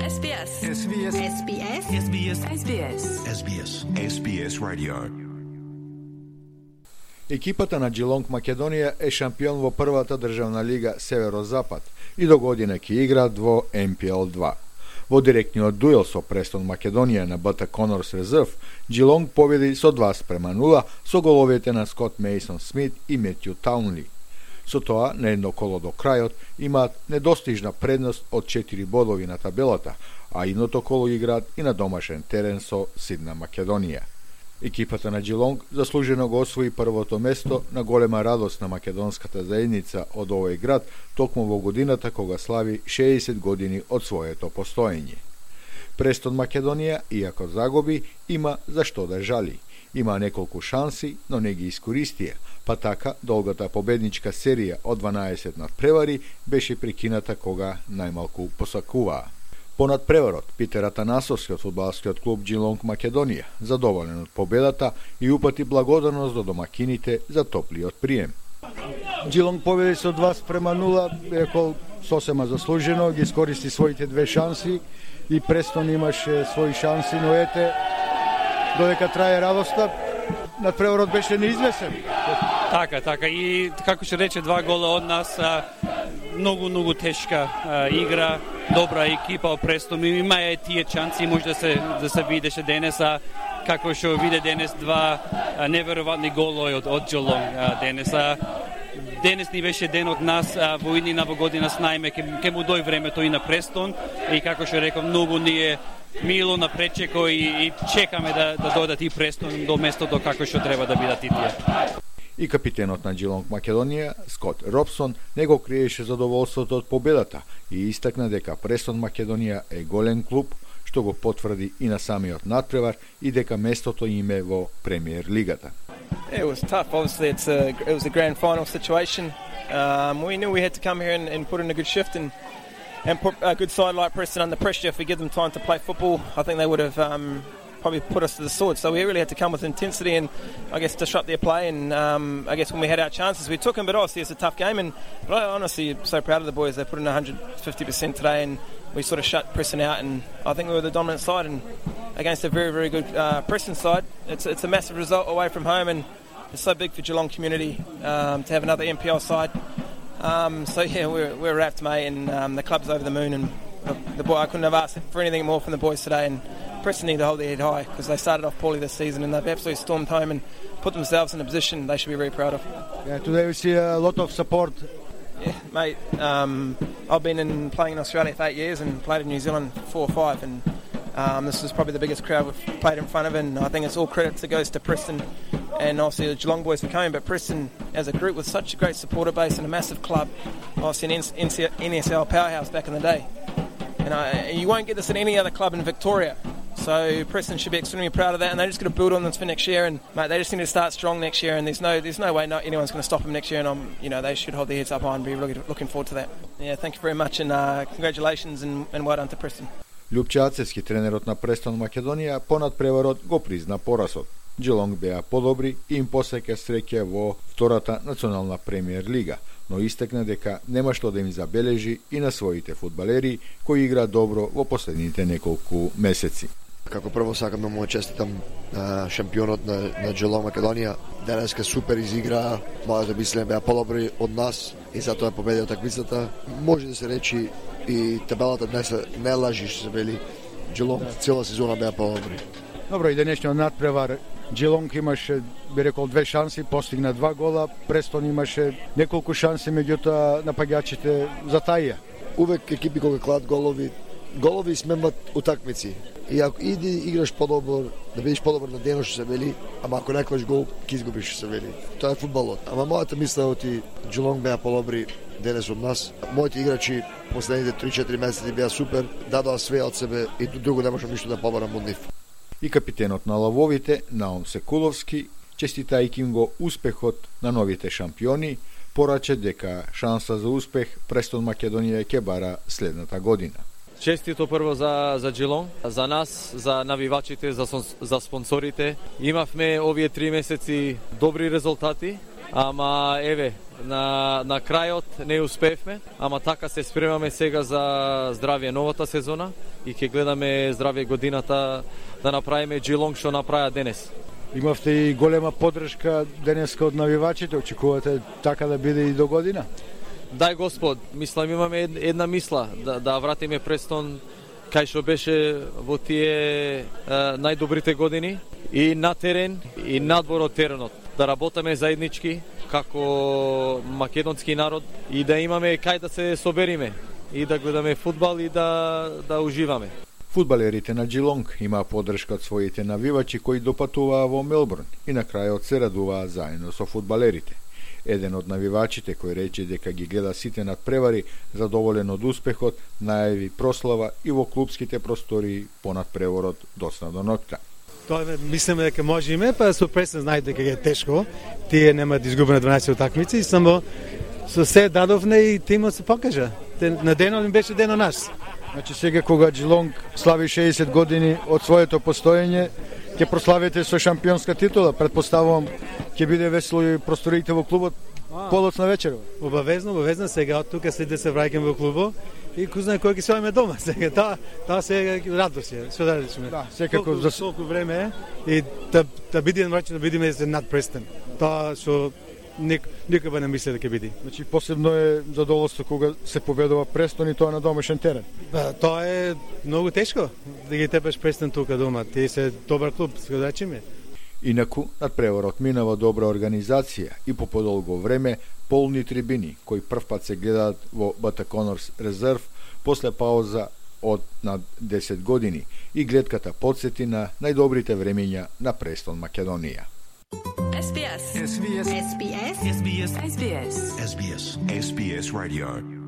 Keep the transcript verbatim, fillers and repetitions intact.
Ес Би Ес. Ес Би Ес. Ес Би Ес. Ес Би Ес. Ес Би Ес. Ес Би Ес. Ес Би Ес Radio. Екипата на Джилонг Македонија е шампион во првата државна лига Северозапад и до година ќе играат во Ем Пи Ел два. Во директниот дуел со Престон Македонија на Б Т Конорс Резерв, Джилонг победи со два спрема нула со головите на Скот Мейсон Смит и Метју Таунли. Со тоа, на едно коло до крајот, имаат недостижна предност од четири бодови на табелата, а идното коло играат и на домашен терен со Сидна Македонија. Екипата на Джилонг заслужено го освои првото место на голема радост на македонската заедница од овој град токму во годината кога слави шеесет години од своето постоење. Престон Македонија, иако загуби, има за што да жали. Има неколку шанси, но не ги искористија, па така долгата победничка серија од дванаесет надпревари беше прекината кога најмалку посакуваа. Понад преварот, Питер Атанасовски од фудбалскиот клуб Джилонг Македонија, задоволен од победата и упати благодарност до домакините за топлиот прием. Джилонг победи со два спрема нула, рекол сосема заслужено, ги искористи своите две шанси и Престон имаше своји шанси, но ете, додека трае радоста, надпреварот беше неизвесен. Така, така. И како ќе рече, два гола од нас, многу, многу тешка а, игра, добра екипа од Престон. Има е тие шанси, може да се да се видеше денес, а како што виде денес два а, неверојатни голови од од Джилонг денес. А, денес ни беше ден од нас, а, во иднина во година знаеме ке, ке му дој времето и на Престон и како што реков, многу ни е мило на пречеко и, и чекаме да да дојдат и Престон до местото како што треба да бидат и тие. И капитенот на Джилонг Македонија, Скот Робсон, не го криеше задоволството од победата и истакна дека Престон Македонија е голем клуб, што го потврди и на самиот надпревар и дека местото им е во Премиер лигата. It was tough. Obviously, it's a it was a grand final situation. Um, we knew we had to come here and, and put in a good shift and and put a good side like Preston under pressure. If we give them time to play football, I think they would have um, probably put us to the sword. So we really had to come with intensity and, I guess, disrupt their play. And um, I guess when we had our chances, we took them. But obviously, it's a tough game. And but I honestly am so proud of the boys. They put in one hundred fifty percent today, and we sort of shut Preston out. And I think we were the dominant side and against a very, very good uh, Preston side. It's it's a massive result away from home, and it's so big for Geelong community um, to have another N P L side. Um, so yeah, we're we're wrapped, mate, and um, the club's over the moon. And the, the boy, I couldn't have asked for anything more from the boys today. And Preston need to hold their head high because they started off poorly this season and they've absolutely stormed home and put themselves in a position they should be very proud of. Yeah, today we see a lot of support. Yeah, mate. Um, I've been in playing in Australia for eight years and played in New Zealand for four or five, and um, this is probably the biggest crowd we've played in front of, and I think it's all credit that goes to Preston and obviously the Geelong boys for coming, but Preston as a group with such a great supporter base and a massive club, obviously an N S L powerhouse back in the day. And I, you won't get this at any other club in Victoria. So Preston should be extremely proud of that, and they're just going to build on this for next year. And mate, they just need to start strong next year. And there's no, there's no way no, anyone's going to stop them next year. And I'm, you know, they should hold their heads up high and be really looking forward to that. Yeah, thank you very much, and uh, congratulations and, and well done to Preston. Љупче Ацевски, тренерот на Престон Македонија, понад преварот го призна поразот. Джилонг беа подобри и им посеќа среќа во втората национална премиер лига, но истекна дека нема што да им забележи и на своите фудбалери кои игра добро во последните неколку месеци. Како прво сакам да му честитам а, шампионот на, на Джилонг Македонија. Денеска супер изигра, мојата мислење беа подобри од нас и затоа победија такмицата. Може да се речи и табелата днес не лажи што се вели. Джилонг цела сезона беа подобри. Добро, и денешниот надпревар Джилонг имаше, би рекол, две шанси, постигна два гола. Престон имаше неколку шанси, меѓутоа напаѓачите затаија. Увек екипи кога клад голови, голови сменват утакмици. И ако иди играш подобро, да бидеш подобар на денот што се вели, ама ако не клаш гол, ќе изгубиш што се вели. Тоа е фудбалот. Ама мојата мисла е оти Джилонг беа подобри денес од нас. Моите играчи последните три-четири месеци беа супер, дадоа све од себе и друго не можам ништо да побарам од нив. И капитенот на лавовите, Наум Секуловски, честитајќи им го успехот на новите шампиони, пораче дека шанса за успех Престон Македонија ќе бара следната година. Честито прво за за Джилонг, за нас, за навивачите, за за спонсорите. Имавме овие три месеци добри резултати, ама еве, На, на крајот не успеевме, ама така се спремаме сега за здравје новата сезона и ќе гледаме здравје годината да направиме Geelong што направи денес. Имавте и голема поддршка денеска од навивачите, очекувате така да биде и до година? Дај Господ, мислам имаме една мисла да, да вратиме Престон кај што беше во тие е, најдобрите години и на терен и надвор од теренот. Да работиме заеднички како македонски народ и да имаме кај да се собериме и да гледаме фудбал и да, да уживаме. Фудбалерите на Geelong имаа поддршка од своите навивачи кои допатуваа во Мелбурн и на крајот се радуваа заедно со фудбалерите. Еден од навивачите кој рече дека ги гледа сите надпревари, задоволен од успехот, најави прослава и во клубските простории понад преворот доцна до ноќта. Тоа мислиме дека можеме, па со Престон знаат дека е тешко. Тие нема да изгубат на дванаесет утакмици и само со се дадовне и тимот се покажа. На денот им беше ден од нас. Значи сега кога Geelong слави шеесет години од своето постоење, ќе прославите со шампионска титула. Предпоставувам ќе биде весело и просториите во клубот подоцна вечерва. Обавезно, обавезно сега од тука след да се враќам во клубот и кој знае кој ќе се ојме дома сега. Таа таа се радост е. Што да речеме? Да, секако за толку време и да да бидеме враќани да бидеме над Престон. Тоа што ник никога не мисле дека ќе биде. Значи посебно е задоволство кога се победува Престон и тоа на домашен терен. Ба, тоа е многу тешко да ги тепеш Престон тука дома. Тие се добар клуб, што да речеме. Инаку, надпреворот минава добра организација и по подолго време полни трибини, кои првпат се гледаат во Бата Конорс резерв после пауза од над десет години и гледката подсети на најдобрите времења на Престон Македонија. S B S. S B S. S B S. S B S. S B S. S B S Radio.